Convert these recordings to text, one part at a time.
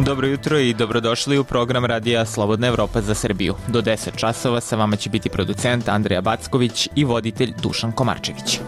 Dobro jutro i dobrodošli u program Radija Slobodna Evropa za Srbiju. Do 10 časova sa vama će biti producent Andrija Backović i voditelj Dušan Komarčević.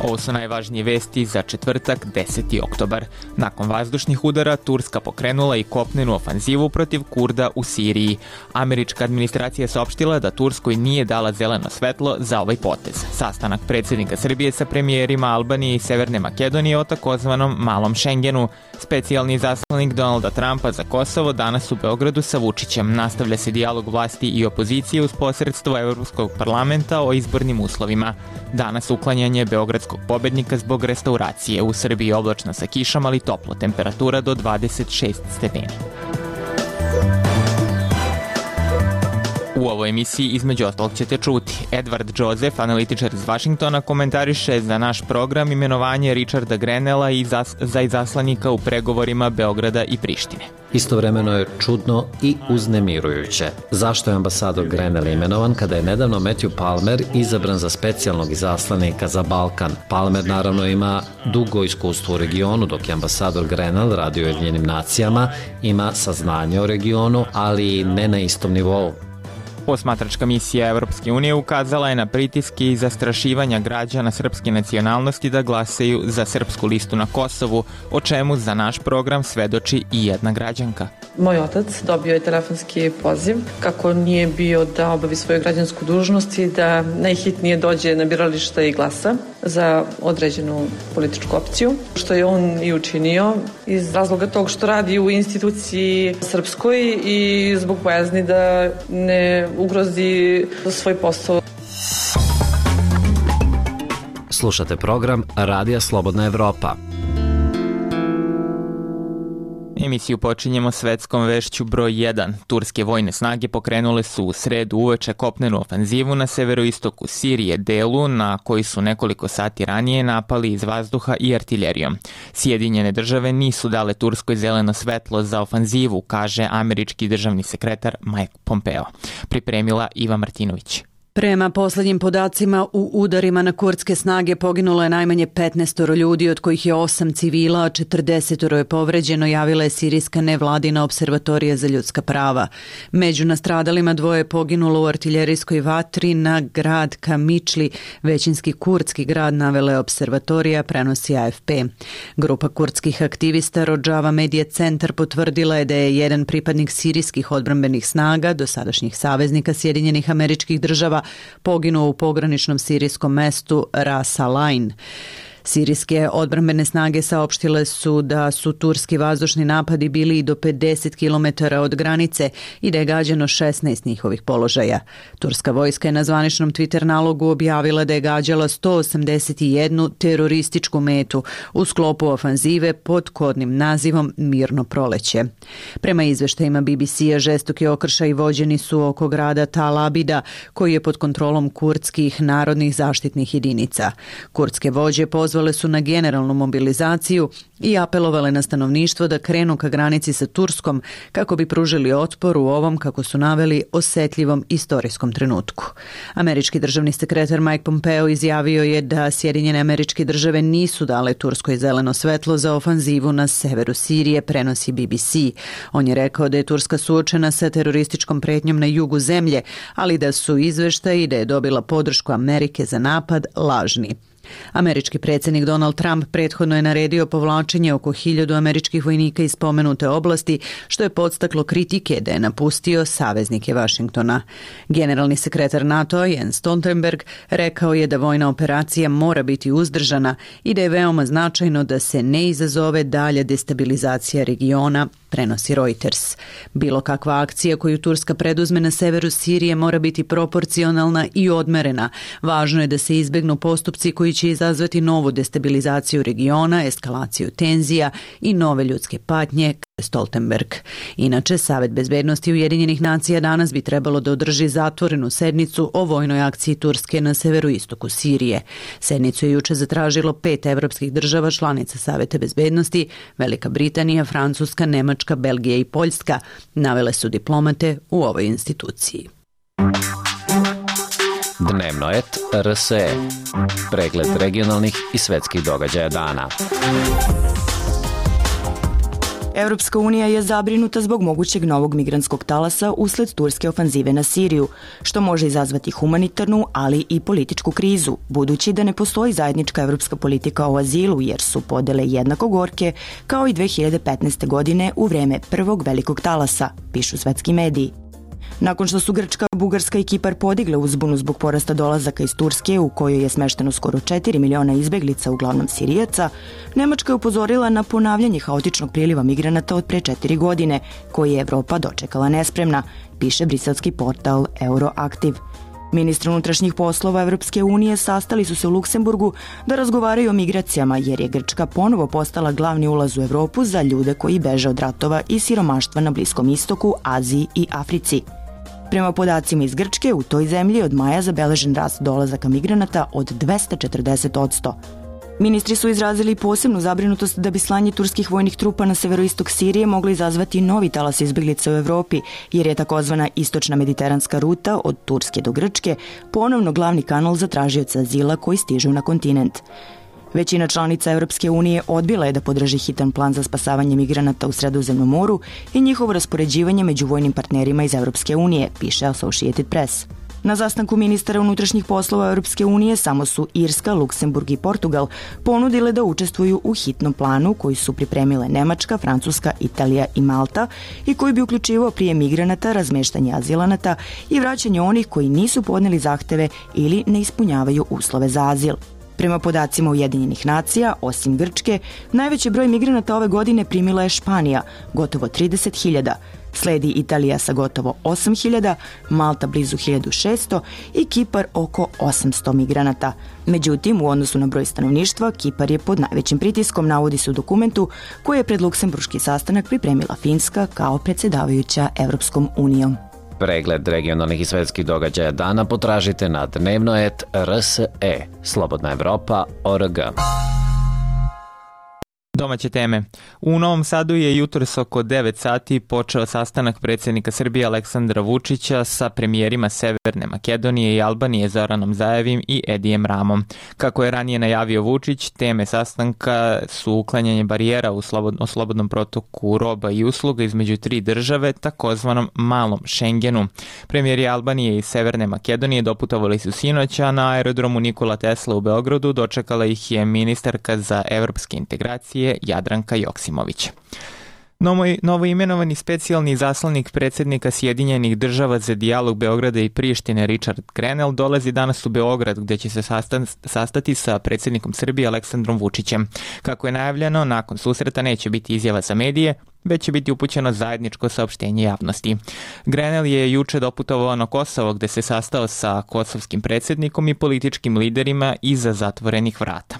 Ovo su najvažnije vesti za četvrtak, 10. oktobar. Nakon vazdušnih udara, Turska pokrenula i kopnenu ofanzivu protiv Kurda u Siriji. Američka administracija je saopštila da Turskoj nije dala zeleno svetlo za ovaj potez. Sastanak predsjednika Srbije sa premijerima Albanije i Severne Makedonije o takozvanom Malom Šengenu. Specijalni izaslanik Donalda Trumpa za Kosovo danas u Beogradu sa Vučićem. Nastavlja se dijalog vlasti i opozicije uz posredstvo Evropskog parlamenta o izbornim uslovima. Danas uklanjanje beogradskog pobednika zbog restauracije. U Srbiji oblačno sa kišom, ali toplo, temperatura do 26 stepeni. U ovoj emisiji između ostalog ćete čuti. Edward Joseph, analitičar iz Vašingtona, komentariše za naš program imenovanje Richarda Grenella za izaslanika u pregovorima Beograda i Prištine. Istovremeno je čudno i uznemirujuće. Zašto je ambasador Grenell imenovan kada je nedavno Matthew Palmer izabran za specijalnog izaslanika za Balkan? Palmer naravno ima dugo iskustvo u regionu, dok je ambasador Grenell radio u Ujedinjenim nacijama, ima saznanje o regionu, ali ne na istom nivou. Posmatračka misija Evropske unije ukazala je na pritiske i zastrašivanja građana srpske nacionalnosti da glasaju za srpsku listu na Kosovu, o čemu za naš program svedoči i jedna građanka. Moj otac dobio je telefonski poziv kako nije bio da obavi svoju građansku dužnost i da najhitnije dođe na biralište i glasa za određenu političku opciju, što je on i učinio iz razloga tog što radi u instituciji srpskoj i zbog bojazni da ne ugrozi svoj posao. Slušate program Radija Slobodna Evropa. Emisiju počinjemo svetskom vešću broj 1. Turske vojne snage pokrenule su u sredu uveče kopnenu ofanzivu na severoistoku Sirije, delu na koji su nekoliko sati ranije napali iz vazduha i artiljerijom. Sjedinjene države nisu dale Turskoj zeleno svetlo za ofanzivu, kaže američki državni sekretar Mike Pompeo. Pripremila Iva Martinović. Prema poslednjim podacima, u udarima na kurdske snage poginulo je najmanje 15 ljudi, od kojih je 8 civila, a 40 je povređeno, javila je sirijska nevladina observatorija za ljudska prava. Među nastradalima 2 je poginulo u artiljerijskoj vatri na grad Kamičli, većinski kurdski grad, navela je observatorija, prenosi AFP. Grupa kurdskih aktivista Rojava Media Centar potvrdila je da je jedan pripadnik sirijskih odbrambenih snaga, dosadašnjih saveznika Sjedinjenih Američkih Država, poginuo u pograničnom sirijskom mestu Ras Al-Ain. Sirijske odbrambene snage saopštile su da su turski vazdušni napadi bili i do 50 km od granice i da je gađano 16 njihovih položaja. Turska vojska je na zvaničnom Twitter nalogu objavila da je gađala 181 terorističku metu u sklopu ofanzive pod kodnim nazivom Mirno proleće. Prema izveštajima BBC-a, žestoki okršaji vođeni su oko grada Tal Abida, koji je pod kontrolom kurdskih narodnih zaštitnih jedinica. Kurdske vođe pozvale su na generalnu mobilizaciju i apelovale na stanovništvo da krenu ka granici sa Turskom kako bi pružili otpor u ovom, kako su naveli, osetljivom istorijskom trenutku. Američki državni sekretar Mike Pompeo izjavio je da Sjedinjene Američke Države nisu dale Turskoj zeleno svetlo za ofanzivu na severu Sirije, prenosi BBC. On je rekao da je Turska suočena sa terorističkom pretnjom na jugu zemlje, ali da su izveštaji da je dobila podršku Amerike za napad lažni. Američki predsjednik Donald Trump prethodno je naredio povlačenje oko 1000 američkih vojnika iz spomenute oblasti, što je podstaklo kritike da je napustio saveznike Vašingtona. Generalni sekretar NATO-a Jens Stoltenberg rekao je da vojna operacija mora biti uzdržana i da je veoma značajno da se ne izazove dalja destabilizacija regiona, prenosi Reuters. Bilo kakva akcija koju Turska preduzme na severu Sirije mora biti proporcionalna i odmerena. Važno je da se izbegnu postupci koji će izazvati novu destabilizaciju regiona, eskalaciju tenzija i nove ljudske patnje, Stoltenberg. Inače, Savet bezbednosti Ujedinjenih nacija danas bi trebalo da održi zatvorenu sednicu o vojnoj akciji Turske na severoistoku Sirije. Sednicu je juče zatražilo 5 evropskih država članica Saveta bezbednosti, Velika Britanija, Francuska, Nemačka, Belgija i Poljska, navele su diplomate u ovoj instituciji. Dnevnoet RSE. Pregled regionalnih i svetskih događaja dana. Evropska unija je zabrinuta zbog mogućeg novog migrantskog talasa usled turske ofanzive na Siriju, što može izazvati humanitarnu, ali i političku krizu, budući da ne postoji zajednička evropska politika o azilu, jer su podele jednako gorke kao i 2015. godine u vreme prvog velikog talasa, pišu svetski mediji. Nakon što su Grčka, Bugarska i Kipar podigle uzbunu zbog porasta dolazaka iz Turske, u kojoj je smešteno skoro 4 miliona izbeglica, uglavnom Sirijaca, Nemačka je upozorila na ponavljanje haotičnog priliva migranata od pre 4 godine, koji je Evropa dočekala nespremna, piše briselski portal Euroaktiv. Ministri unutrašnjih poslova Evropske unije sastali su se u Luksemburgu da razgovaraju o migracijama, jer je Grčka ponovo postala glavni ulaz u Evropu za ljude koji beže od ratova i siromaštva na Bliskom istoku, Aziji i Africi. Prema podacima iz Grčke, u toj zemlji od maja zabeležen rast dolazaka migranata od 240%. Ministri su izrazili posebnu zabrinutost da bi slanje turskih vojnih trupa na severoistok Sirije moglo izazvati novi talas izbeglica u Evropi, jer je takozvana istočna mediteranska ruta od Turske do Grčke ponovno glavni kanal za tražioce azila koji stižu na kontinent. Većina članica Evropske unije odbila je da podrži hitan plan za spasavanje migranata u Sredozemnom moru i njihovo raspoređivanje među vojnim partnerima iz Evropske unije, piše Associated Press. Na sastanku ministara unutrašnjih poslova Europske unije samo su Irska, Luksemburg i Portugal ponudile da učestvuju u hitnom planu koji su pripremile Nemačka, Francuska, Italija i Malta i koji bi uključivao prijem migranata, razmeštanje azilanata i vraćanje onih koji nisu podneli zahteve ili ne ispunjavaju uslove za azil. Prema podacima Ujedinjenih nacija, osim Grčke, najveći broj migranata ove godine primila je Španija, gotovo 30.000, sledi Italija sa gotovo 8.000, Malta blizu 1.600 i Kipar oko 800 migranata. Međutim, u odnosu na broj stanovništva, Kipar je pod najvećim pritiskom, navodi se u dokumentu koji je pred luksemburški sastanak pripremila Finska kao predsjedavajuća Evropskom unijom. Pregled regionalnih i svetskih događaja dana potražite na dnevnoet.rse, Slobodna Evropa.org. Domaće teme. U Novom Sadu je jutros oko 9 sati počeo sastanak predsjednika Srbije Aleksandra Vučića sa premijerima Severne Makedonije i Albanije Zoranom Zajevim i Edijem Ramom. Kako je ranije najavio Vučić, teme sastanka su uklanjanje barijera u slobodnom protoku roba i usluga između tri države, takozvanom malom Šengenu. Premijeri Albanije i Severne Makedonije doputovali su sinoć, a na aerodromu Nikola Tesla u Beogradu dočekala ih je ministarka za evropske integracije Jadranka Joksimović. Novoimenovani specijalni izaslanik predsjednika Sjedinjenih država za dijalog Beograda i Prištine Richard Grenell dolazi danas u Beograd, gde će se sastati sa predsjednikom Srbije Aleksandrom Vučićem. Kako je najavljeno, nakon susreta neće biti izjava za medije, već će biti upućeno zajedničko saopštenje javnosti. Grenell je juče doputovao na Kosovo, gde se sastao sa kosovskim predsjednikom i političkim liderima iza zatvorenih vrata.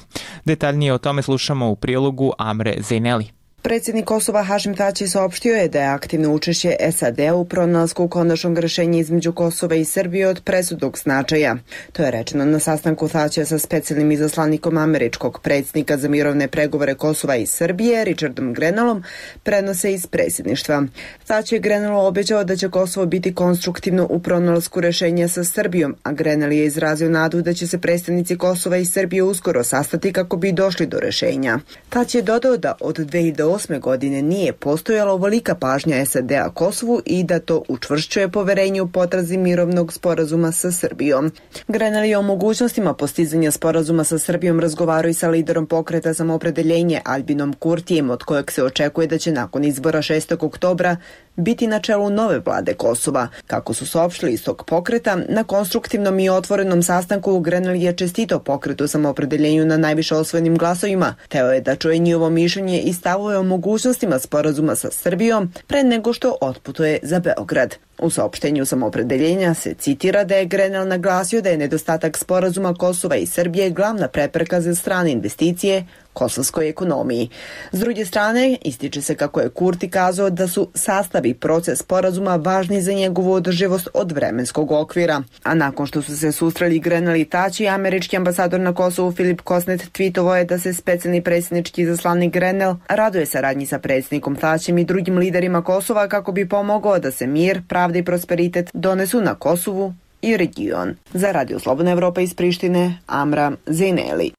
Detaljnije o tome slušamo u prilogu Amre Zejneli. Predsjednik Kosova Hašim Tači saopštio je da je aktivno učešće SAD-a u pronalasku konačnog rešenja između Kosova i Srbije od presudnog značaja. To je rečeno na sastanku Tačija sa specijalnim izaslanikom američkog predsjednika za mirovne pregovore Kosova i Srbije, Richardom Grenellom, prenose iz predsjedništva. Tači je Grenellu obećao da će Kosovo biti konstruktivno u pronalasku rešenja sa Srbijom, a Grenell je izrazio nadu da će se predstavnici Kosova i Srbije uskoro sastati kako bi došli do rešenja. Tači je dodao da od 2008. godine nije postojala ovolika pažnja SAD-a Kosovu i da to učvršćuje poverenje u potrazi mirovnog sporazuma sa Srbijom. Grenell je o mogućnostima postizanja sporazuma sa Srbijom razgovarao i sa liderom pokreta Samoopredeljenje Albinom Kurtijem, od kojeg se očekuje da će nakon izbora 6. oktobra biti na čelu nove vlade Kosova. Kako su saopštili iz tog pokreta, na konstruktivnom i otvorenom sastanku Grenell je čestitao pokretu Samoopredeljenju na najviše osvojenim glasovima. Teo je da čuje njihovo mišljenje i stavove o mogućnostima sporazuma sa Srbijom pre nego što otputuje za Beograd. U saopštenju Samoopredeljenja se citira da je Grenell naglasio da je nedostatak sporazuma Kosova i Srbije glavna prepreka za strane investicije kosovskoj ekonomiji. S druge strane, ističe se kako je Kurti kazao da su sastav i proces sporazuma važni za njegovu održivost od vremenskog okvira. A nakon što su se susreli Grenell i Tači, američki ambasador na Kosovu Filip Kosnet tweetovao je da se specijalni predsjednički izaslanik Grenell raduje saradnji sa predsjednikom Tačijem i drugim liderima Kosova kako bi pomogao da se mir, pravda i prosperitet donesu na Kosovu i region. Za Radio Slobodna Evropa iz Prištine, Amra Zejneli.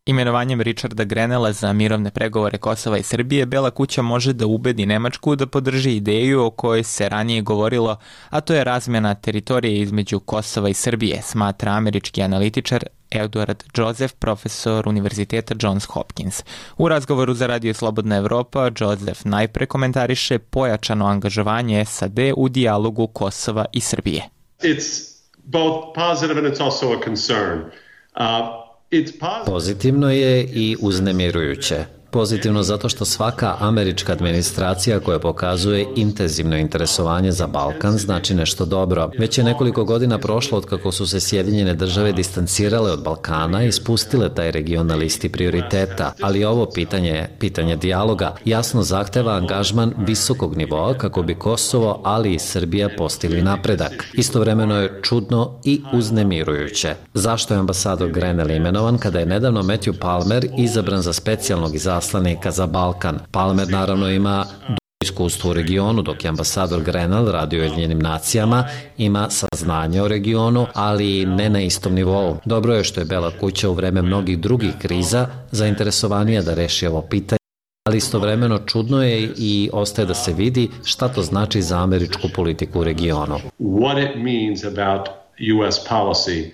Imenovanjem Richarda Grenella za mirovne pregovore Kosova i Srbije, Bela kuća može da ubedi Nemačku da podrži ideju o kojoj se ranije govorilo, a to je razmjena teritorije između Kosova i Srbije, smatra američki analitičar Edward Joseph, profesor Univerziteta Johns Hopkins. U razgovoru za Radio Slobodna Evropa, Joseph najpre komentariše pojačano angažovanje SAD u dijalogu Kosova i Srbije. It's both positive and it's also a concern. Pozitivno je i uznemirujuće. Pozitivno zato što svaka američka administracija koja pokazuje intenzivno interesovanje za Balkan znači nešto dobro. Već je nekoliko godina prošlo od kako su se Sjedinjene države distancirale od Balkana i spustile taj region na listi prioriteta, ali ovo pitanje dijaloga, jasno zahteva angažman visokog nivoa kako bi Kosovo, ali i Srbija postigli napredak. Istovremeno je čudno i uznemirujuće. Zašto je ambasador Grenell imenovan kada je nedavno Matthew Palmer izabran za specijalnog izaslanika za Balkan? Palmer naravno ima iskustvo u regionu, dok je ambasador Grenell radi u Ujedinjenim nacijama, ima saznanje o regionu, ali ne na istom nivou. Dobro je što je Bela kuća u vreme mnogih drugih kriza zainteresovanija da reši ovo pitanje, ali istovremeno čudno je i ostaje da se vidi šta to znači za američku politiku u regionu. What it means about US policy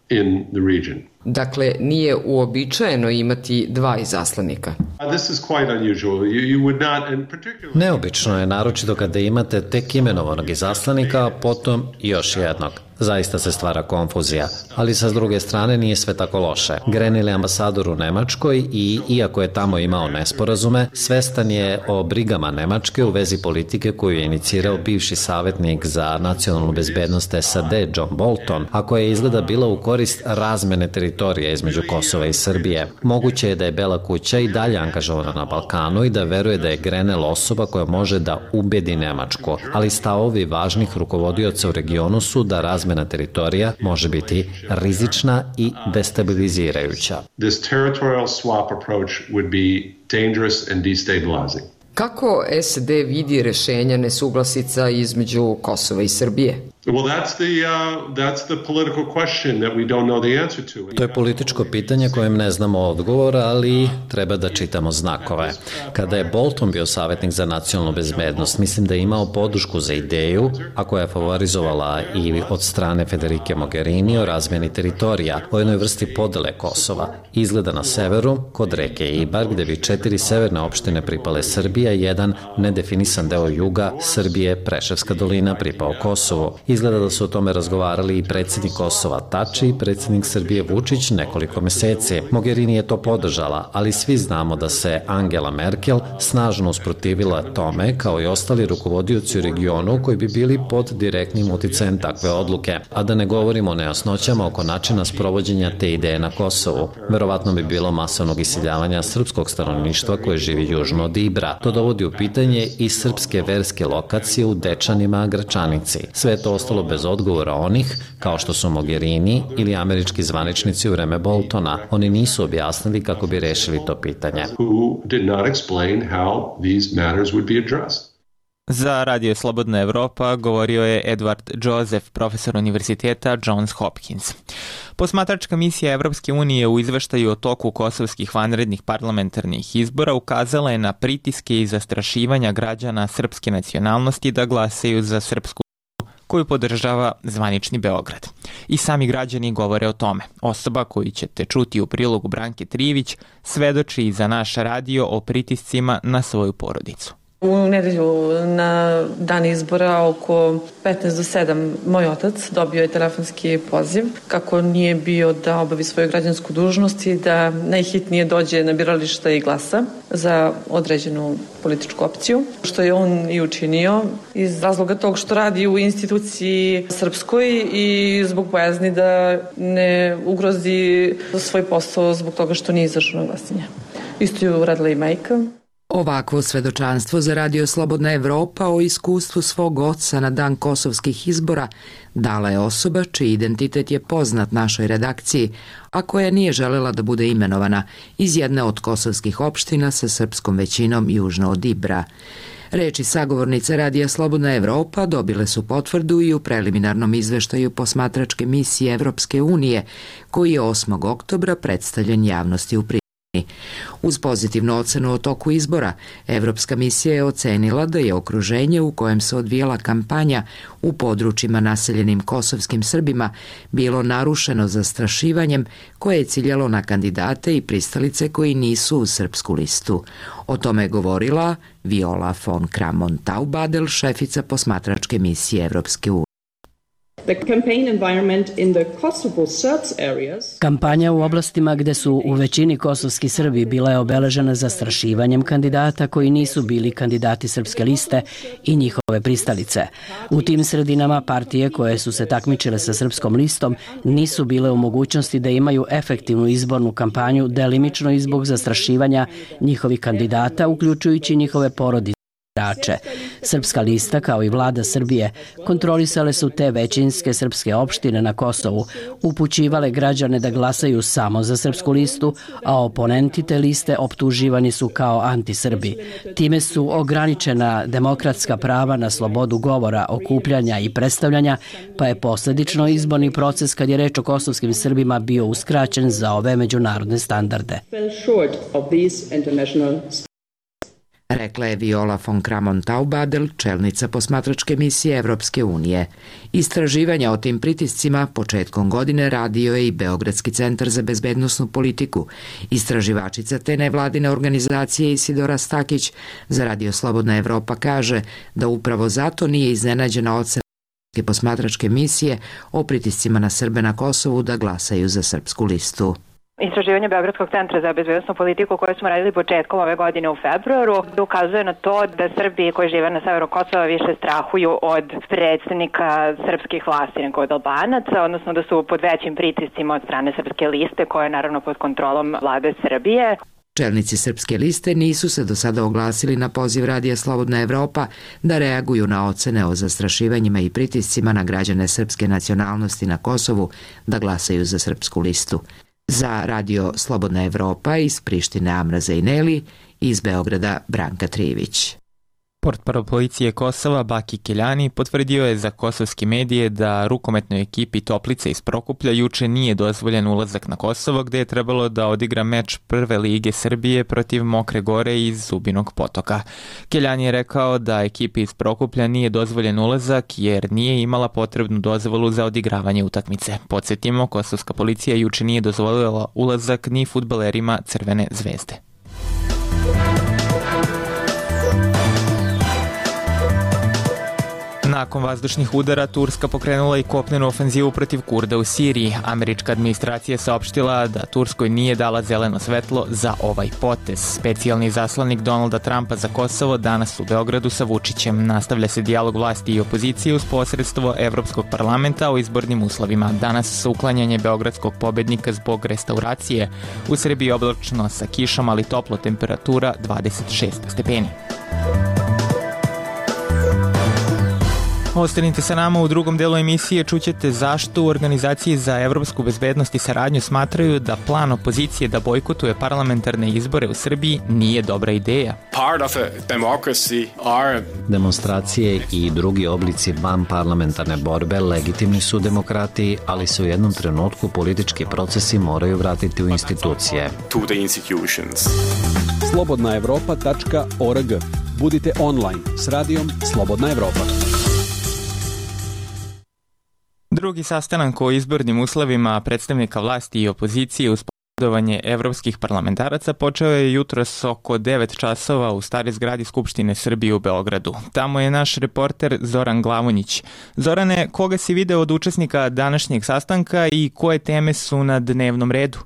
in the region. Dakle, nije uobičajeno imati dva izaslanika. This is quite unusual. You would not, in particular... Neobično je, naročito kada imate tek imenovanog izaslanika, a potom još jednog. Zaista se stvara konfuzija, ali sa druge strane nije sve tako loše. Grenell je ambasador u Nemačkoj i, iako je tamo imao nesporazume, svestan je o brigama Nemačke u vezi politike koju je inicirao bivši savjetnik za nacionalnu bezbednost SAD John Bolton, a koja je izgleda bila u korist razmene teritorija između Kosova i Srbije. Moguće je da je Bela kuća i dalje angažovana na Balkanu i da veruje da je Grenell osoba koja može da ubedi Nemačku, ali stavovi važnih rukovodioca u regionu su da razmena teritorija može biti rizična i destabilizirajuća. This territorial swap approach would be dangerous and destabilizing. Kako SAD vidi rešenja nesuglasica između Kosova i Srbije? Well, that's the political question that we don't know the answer to. To je političko pitanje kojem ne znamo odgovor, ali treba da čitamo znakove. Kada je Bolton bio savjetnik za nacionalnu bezbednost, mislim da je imao podršku za ideju, a koja je favorizovala i od strane Federike Mogherini o razmjeni teritorija, o jednoj vrsti podele Kosova. Izgleda na severu, kod reke Ibar, gde bi 4 severne opštine pripale Srbija i jedan nedefinisan deo juga Srbije, Preševska dolina, pripao Kosovu. Izgleda da su o tome razgovarali i predsjednik Kosova Tači i predsjednik Srbije Vučić nekoliko meseci. Mogherini je to podržala, ali svi znamo da se Angela Merkel snažno usprotivila tome, kao i ostali rukovodioci u regionu koji bi bili pod direktnim uticajem takve odluke, a da ne govorimo o nejasnoćama oko načina sprovođenja te ideje na Kosovu. Verovatno bi bilo masovnog iseljavanja srpskog stanovništva koje živi južno od Ibra. To dovodi u pitanje i srpske verske lokacije u Dečanima, Gračanici. Sve je to ostalo bez odgovora onih, kao što su Mogherini ili američki zvaničnici u vreme Boltona. Oni nisu objasnili kako bi rešili to pitanje. Za Radio Slobodna Evropa govorio je Edward Joseph, profesor Univerziteta Johns Hopkins. Posmatračka misija Evropske unije u izveštaju o toku kosovskih vanrednih parlamentarnih izbora ukazala je na pritiske i zastrašivanja građana srpske nacionalnosti da glasaju za srpsku koju podržava zvanični Beograd. I sami građani govore o tome. Osoba koju ćete čuti u prilogu Branke Trivić svedoči za naš radio o pritiscima na svoju porodicu. U nedelju na dan izbora oko 15 do 7 moj otac dobio je telefonski poziv kako nije bio da obavi svoju građansku dužnost i da najhitnije dođe na birališta i glasa za određenu političku opciju, što je on i učinio iz razloga tog što radi u instituciji srpskoj i zbog bojazni da ne ugrozi svoj posao zbog toga što nije izašao na glasanje. Isto je uradila i majka. Ovakvo svedočanstvo za Radio Slobodna Evropa o iskustvu svog oca na dan kosovskih izbora dala je osoba čiji identitet je poznat našoj redakciji, a koja nije želela da bude imenovana iz jedne od kosovskih opština sa srpskom većinom južno od Ibra. Reči sagovornice Radija Slobodna Evropa dobile su potvrdu i u preliminarnom izveštaju posmatračke misije Evropske unije, koji je 8. oktobra predstavljen javnosti u Prištini. Uz pozitivnu ocenu o toku izbora, Evropska misija je ocenila da je okruženje u kojem se odvijala kampanja u područjima naseljenim kosovskim Srbima bilo narušeno zastrašivanjem koje je ciljalo na kandidate i pristalice koji nisu u srpsku listu. O tome je govorila Viola von Kramon Taubadel, šefica posmatračke misije Evropske unije. Kampanja u oblastima gde su u većini kosovski Srbi bila je obeležena zastrašivanjem kandidata koji nisu bili kandidati srpske liste i njihove pristalice. U tim sredinama partije koje su se takmičile sa srpskom listom nisu bile u mogućnosti da imaju efektivnu izbornu kampanju, delimično i zbog zastrašivanja njihovih kandidata, uključujući njihove porodice. Srpska lista, kao i vlada Srbije, kontrolisale su te većinske srpske opštine na Kosovu, upućivale građane da glasaju samo za srpsku listu, a oponenti te liste optuživani su kao antisrbi. Time su ograničena demokratska prava na slobodu govora, okupljanja i predstavljanja, pa je posledično izborni proces kad je reč o kosovskim Srbima bio uskraćen za ove međunarodne standarde. Rekla je Viola von Kramon Taubadel, čelnica posmatračke misije Evropske unije. Istraživanja o tim pritiscima početkom godine radio je i Beogradski centar za bezbednosnu politiku. Istraživačica te nevladine organizacije Isidora Stakić za Radio Slobodna Evropa kaže da upravo zato nije iznenađena ocena posmatračke misije o pritiscima na Srbe na Kosovu da glasaju za srpsku listu. Istraživanje Beogradskog centra za bezbednosnu politiku koje smo radili početkom ove godine u februaru ukazuje na to da Srbi koji žive na severu Kosova više strahuju od predstavnika srpskih vlasti nego od Albanaca, odnosno da su pod većim pritiscima od strane srpske liste koja je naravno pod kontrolom vlade Srbije. Čelnici srpske liste nisu se do sada oglasili na poziv Radija Slobodna Evropa da reaguju na ocene o zastrašivanjima i pritiscima na građane srpske nacionalnosti na Kosovu da glasaju za srpsku listu. Za Radio Slobodna Evropa iz Prištine Amra Zejneli, iz Beograda Branka Trivić. Portparol policije Kosova Baki Keljani potvrdio je za kosovske medije da rukometnoj ekipi Toplice iz Prokuplja juče nije dozvoljen ulazak na Kosovo, gde je trebalo da odigra meč Prve lige Srbije protiv Mokre Gore iz Zubinog Potoka. Keljani je rekao da ekipi iz Prokuplja nije dozvoljen ulazak jer nije imala potrebnu dozvolu za odigravanje utakmice. Podsjetimo, kosovska policija juče nije dozvolila ulazak ni fudbalerima Crvene zvezde. Nakon vazdušnih udara, Turska pokrenula i kopnenu ofenzivu protiv Kurda u Siriji. Američka administracija je saopštila da Turskoj nije dala zeleno svetlo za ovaj potez. Specijalni zaslanik Donalda Trumpa za Kosovo danas u Beogradu sa Vučićem. Nastavlja se dijalog vlasti i opozicije uz posredstvo Evropskog parlamenta o izbornim uslovima. Danas uklanjanje beogradskog pobednika zbog restauracije. U Srbiji oblačno sa kišom, ali toplo, temperatura 26 stepeni. Ostanite sa nama u drugom delu emisije, čućete zašto u Organizaciji za evropsku bezbednost i saradnju smatraju da plan opozicije da bojkotuje parlamentarne izbore u Srbiji nije dobra ideja. Demonstracije i drugi oblici vanparlamentarne borbe legitimni su demokratiji, ali se u jednom trenutku politički procesi moraju vratiti u institucije. slobodnaevropa.org. Budite online s radijom Slobodna Evropa. Drugi sastanak o izbornim uslovima predstavnika vlasti i opozicije uz posredovanje evropskih parlamentaraca počeo je jutros oko 9 časova u staroj zgradi Skupštine Srbije u Beogradu. Tamo je naš reporter Zoran Glavonjić. Zorane, koga si video od učesnika današnjeg sastanka i koje teme su na dnevnom redu?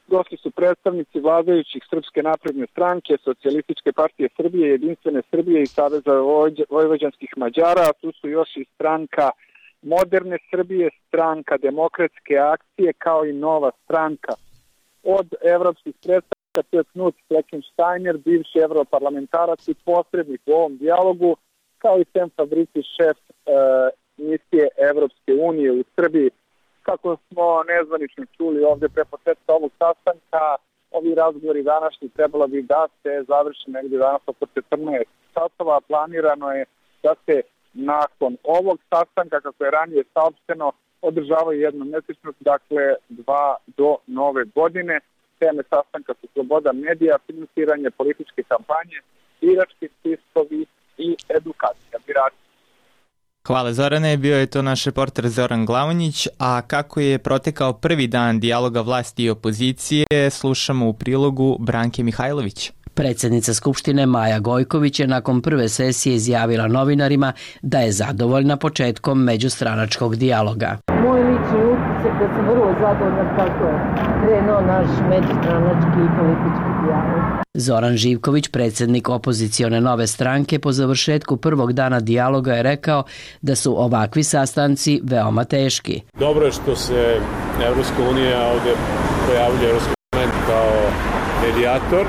Došli su predstavnici vladajućih Srpske napredne stranke, Socijalističke partije Srbije, Jedinstvene Srbije i Saveza vojvođanskih Mađara, a tu su još i stranka Moderne Srbije, stranka Demokratske akcije, kao i Nova stranka. Od evropskih predstavnika to je Knut Fleckensteiner, bivši evroparlamentarac i posrednik u ovom dijalogu, kao i Sem Fabrici, šef misije Evropske unije u Srbiji. Kako smo nezvanično čuli ovde pre početka ovog sastanka, Ovi razgovori današnji trebalo bi da se završi negdje danas oko 14 časova. Planirano je da se nakon ovog sastanka, kako je ranije saopšteno, održavaju jednomesečno, dakle 2 do nove godine. Teme sastanka su sloboda medija, finansiranje političke kampanje, birački spiskovi i edukacija birača. Hvala Zorane, bio je to naš reporter Zoran Glavonjić, a kako je protekao prvi dan dijaloga vlasti i opozicije, slušamo u prilogu Branke Mihajlović. Predsjednica Skupštine Maja Gojković je nakon prve sesije izjavila novinarima da je zadovoljna početkom međustranačkog dijaloga. Moj lični utisak da sam vrlo zadovoljna kako je krenuo naš međustranački i politički dijalog. Zoran Živković, predsjednik opozicione Nove stranke, po završetku prvog dana dijaloga je rekao da su ovakvi sastanci veoma teški. Dobro je što se Evropska unija ovdje projavljuje Evropski parlament kao medijator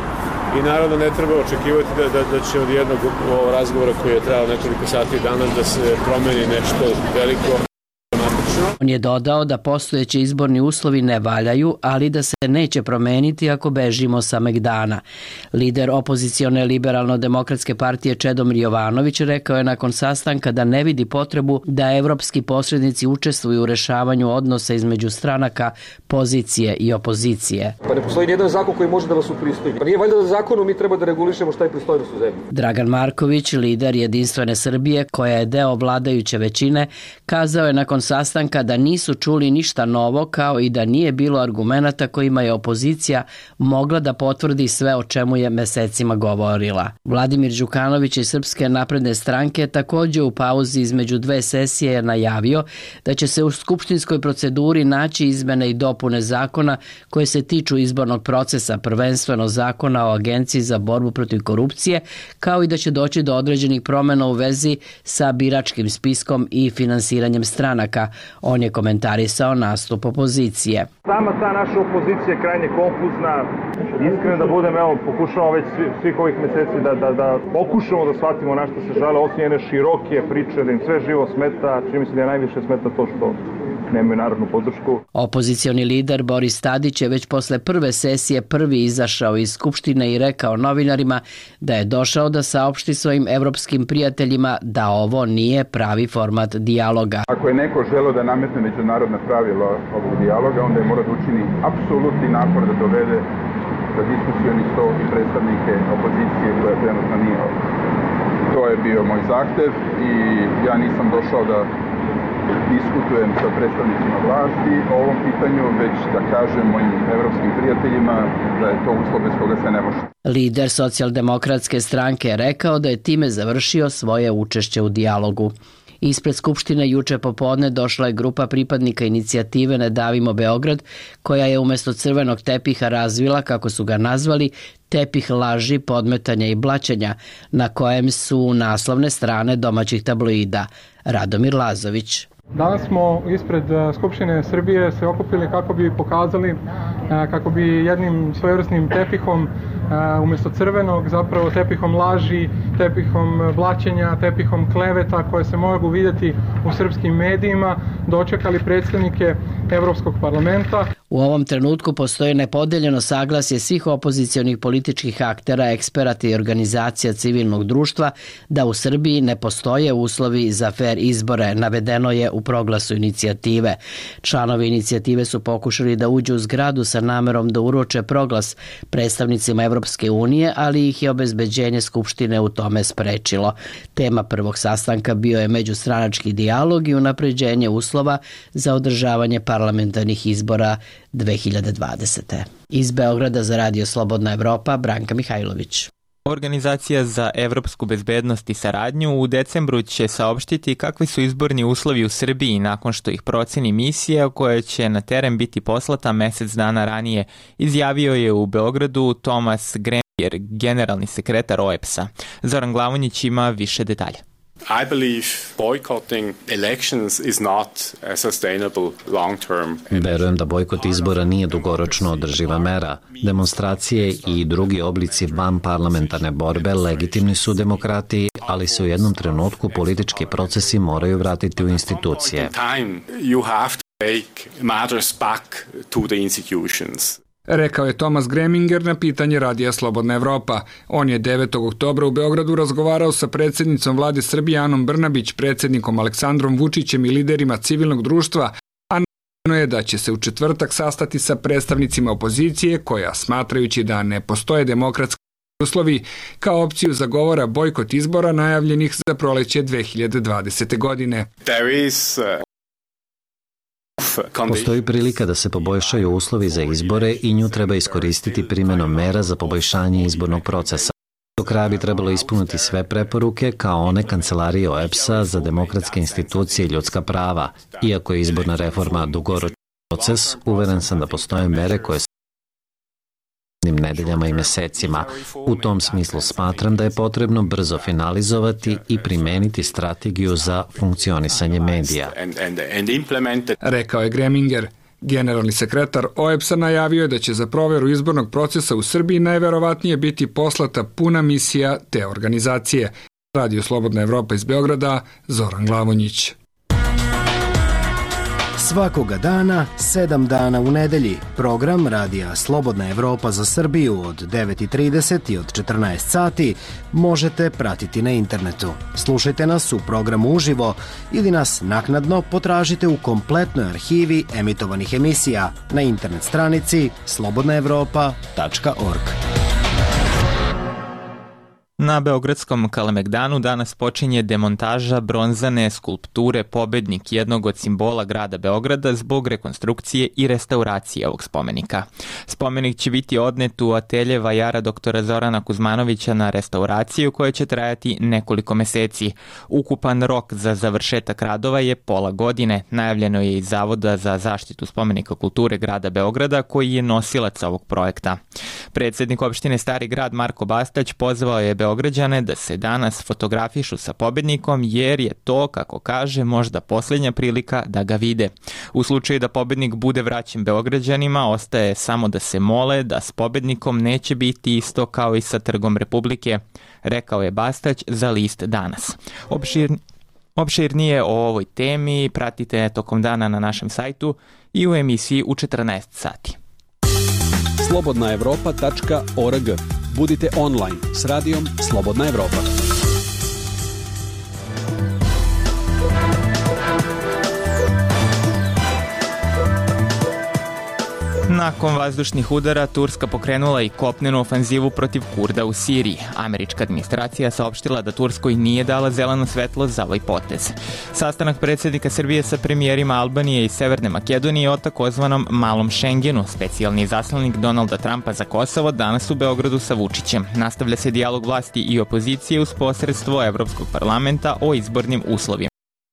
i naravno ne treba očekivati da će od jednog razgovora koji je trajao nekoliko sati danas da se promeni nešto veliko. On je dodao da postojeći izborni uslovi ne valjaju, ali da se neće promeniti ako bežimo sa Megdana. Lider opozicione Liberalno-demokratske partije Čedomir Jovanović rekao je nakon sastanka da ne vidi potrebu da evropski posrednici učestvuju u rešavanju odnosa između stranaka, pozicije i opozicije. Pa ne postoji nijedan zakon koji može da vas upristojni. Pa nije valjda da zakonom mi treba da regulišemo šta je pristojnost u zemlji. Dragan Marković, lider Jedinstvene Srbije, koja je deo vladajuće većine, kazao je nakon sastanka da nisu čuli ništa novo, kao i da nije bilo argumenata kojima je opozicija mogla da potvrdi sve o čemu je mesecima govorila. Vladimir Đukanović iz Srpske napredne stranke također u pauzi između dve sesije je najavio da će se u skupštinskoj proceduri naći izmene i dopune zakona koje se tiču izbornog procesa, prvenstveno zakona o Agenciji za borbu protiv korupcije, kao i da će doći do određenih promjena u vezi sa biračkim spiskom i finansiranjem stranaka. On je komentarisao nastup opozicije. Sama ta naša opozicija je krajnje konfuzna. Iskreno da budem, pokušamo već svih ovih meseci da pokušamo da shvatimo na što se žale, osim jedne široke priče, da im sve živo smeta, čini mi se da je najviše smeta to što nemaju narodnu podršku. Opozicioni lider Boris Tadić je već posle prve sesije prvi izašao iz Skupštine i rekao novinarima da je došao da saopšti svojim evropskim prijateljima da ovo nije pravi format dijaloga. Ako je neko želeo da nametne međunarodna pravila ovog dijaloga, onda je mora da učini apsolutni napor da dovede za diskusioni sto i predstavnike opozicije koja trenutno nije ovdje. To je bio moj zahtev i ja nisam došao da diskutujem sa predstavnicima vlasti o ovom pitanju, već da kažem mojim evropskim prijateljima da je to uslov bez koga se ne može. Lider socijaldemokratske stranke je rekao da je time završio svoje učešće u dijalogu. Ispred Skupštine juče popodne došla je grupa pripadnika inicijative Ne davimo Beograd, koja je umjesto crvenog tepiha razvila, kako su ga nazvali, tepih laži, podmetanja i blaćenja, na kojem su naslovne strane domaćih tabloida. Radomir Lazović. Danas smo ispred Skupštine Srbije se okupili kako bi pokazali, kako bi jednim svojevrsnim tepihom, umjesto crvenog, zapravo tepihom laži, tepihom blaćenja, tepihom kleveta koje se mogu vidjeti u srpskim medijima, dočekali predstavnike Evropskog parlamenta. U ovom trenutku postoji nepodeljeno saglasje svih opozicionih političkih aktera, eksperata i organizacija civilnog društva da u Srbiji ne postoje uslovi za fer izbore, navedeno je u proglasu inicijative. Članovi inicijative su pokušali da uđu u zgradu sa namerom da uruče proglas predstavnicima Evropske unije, ali ih je obezbeđenje Skupštine u tome sprečilo. Tema prvog sastanka bio je međustranački dijalog i unapređenje uslova za održavanje parlamentarnih izbora 2020. Iz Beograda za Radio Slobodna Evropa, Branka Mihajlović. Organizacija za evropsku bezbednost i saradnju u decembru će saopštiti kakvi su izborni uslovi u Srbiji nakon što ih proceni misija koja će na teren biti poslata mesec dana ranije, izjavio je u Beogradu Tomas Gremier, generalni sekretar OEBS-a. Zoran Glavonjić ima više detalja. I believe boycotting elections is not a sustainable long-term. Verujem da bojkot izbora nije dugoročno održiva mera. Demonstracije i drugi oblici van parlamentarne borbe legitimni su u demokratiji, ali se u jednom trenutku politički procesi moraju vratiti u institucije. You have to take matters back to the institutions. rekao je Tomas Greminger na pitanje Radija Slobodna Evropa. On je 9. oktobra u Beogradu razgovarao sa predsjednicom vlade Srbije Anom Brnabić, predsjednikom Aleksandrom Vučićem i liderima civilnog društva, a najavljeno je da će se u četvrtak sastati sa predstavnicima opozicije koja, smatrajući da ne postoje demokratski uslovi, kao opciju zagovara bojkot izbora najavljenih za proleće 2020. godine. Postoji prilika da se poboljšaju uslovi za izbore i nju treba iskoristiti primjenom mera za poboljšanje izbornog procesa. Do kraja bi trebalo ispuniti sve preporuke kao one Kancelarije OEBS-a za demokratske institucije i ljudska prava. Iako je izborna reforma dugoročni proces, uveren sam da postoje mere koje nedeljama i mesecima. U tom smislu smatram da je potrebno brzo finalizovati i primeniti strategiju za funkcionisanje medija. Rekao je Greminger. Generalni sekretar OEBS-a najavio je da će za proveru izbornog procesa u Srbiji najverovatnije biti poslata puna misija te organizacije. Radio Slobodna Evropa iz Beograda, Zoran Glavonjić. Svakoga dana, 7 dana u nedelji, program Radija Slobodna Evropa za Srbiju od 9:30 i od 14 sati možete pratiti na internetu. Slušajte nas u programu uživo ili nas naknadno potražite u kompletnoj arhivi emitovanih emisija na internet stranici slobodnaevropa.org. Na Beogradskom Kalemegdanu danas počinje demontaža bronzane skulpture Pobednik, jednog od simbola grada Beograda, zbog rekonstrukcije i restauracije ovog spomenika. Spomenik će biti odnet u atelje vajara doktora Zorana Kuzmanovića na restauraciju koja će trajati nekoliko meseci. Ukupan rok za završetak radova je pola godine. Najavljeno je iz Zavoda za zaštitu spomenika kulture grada Beograda, koji je nosilac ovog projekta. Predsjednik opštine Stari grad Marko Bastać pozvao je Beograđane da se danas fotografišu sa pobednikom, jer je to, kako kaže, možda posljednja prilika da ga vide. U slučaju da pobednik bude vraćen Beograđanima, ostaje samo da se mole da s pobednikom neće biti isto kao i sa Trgom Republike, rekao je Bastać za list Danas. Opširnije o ovoj temi pratite tokom dana na našem sajtu i u emisiji u 14 sati. slobodnaevropa.org. Budite online s radijom Slobodna Evropa. Nakon vazdušnih udara, Turska pokrenula i kopnenu ofanzivu protiv Kurda u Siriji. Američka administracija saopštila da Turskoj nije dala zeleno svetlo za ovaj potez. Sastanak predsjednika Srbije sa premijerima Albanije i Severne Makedonije o takozvanom Malom Šengenu, specijalni izaslanik Donalda Trumpa za Kosovo, danas u Beogradu sa Vučićem. Nastavlja se dijalog vlasti i opozicije uz posredstvo Evropskog parlamenta o izbornim uslovima.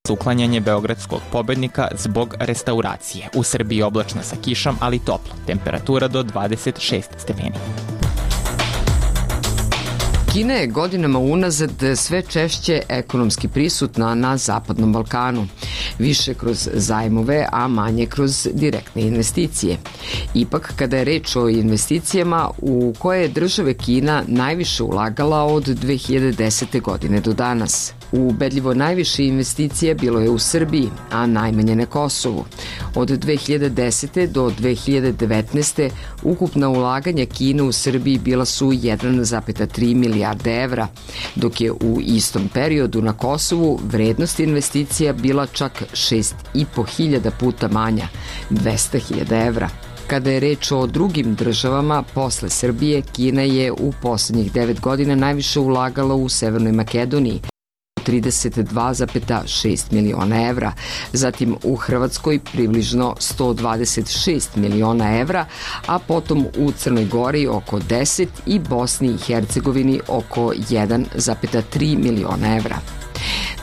Uklanjanje beogradskog pobednika zbog restauracije. U Srbiji oblačno sa kišom, ali toplo. Temperatura do 26 stepeni. Kina je godinama unazad sve češće ekonomski prisutna na Zapadnom Balkanu. Više kroz zajmove, a manje kroz direktne investicije. Ipak, kada je reč o investicijama, u koje je države Kina najviše ulagala od 2010. godine do danas. Ubedljivo najviše investicije bilo je u Srbiji, a najmanje na Kosovu. Od 2010. do 2019. ukupna ulaganja Kine u Srbiji bila su 1,3 milijarde evra, dok je u istom periodu na Kosovu vrednost investicija bila čak 6.500 puta manja, 200.000 evra. Kada je reč o drugim državama, posle Srbije, Kina je u poslednjih 9 godina najviše ulagala u Severnoj Makedoniji, 32,6 miliona evra, zatim u Hrvatskoj približno 126 miliona evra, a potom u Crnoj Gori oko 10 i Bosni i Hercegovini oko 1,3 miliona evra.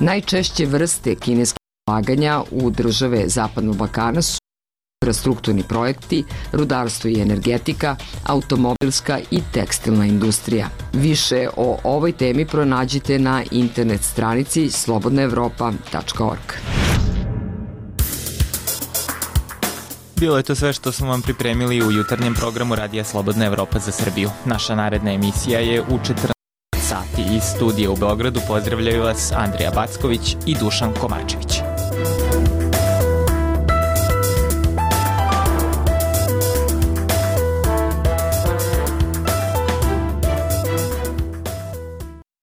Najčešće vrste kineskih ulaganja u države Zapadnog Balkana su infrastrukturni projekti, rudarstvo i energetika, automobilska i tekstilna industrija. Više o ovoj temi pronađite na internet stranici slobodnaevropa.org. Bilo je to sve što smo vam pripremili u jutarnjem programu Radija Slobodna Evropa za Srbiju. Naša naredna emisija je u 14 sati. Iz studija u Beogradu pozdravljaju vas Andrija Backović i Dušan Kovačević.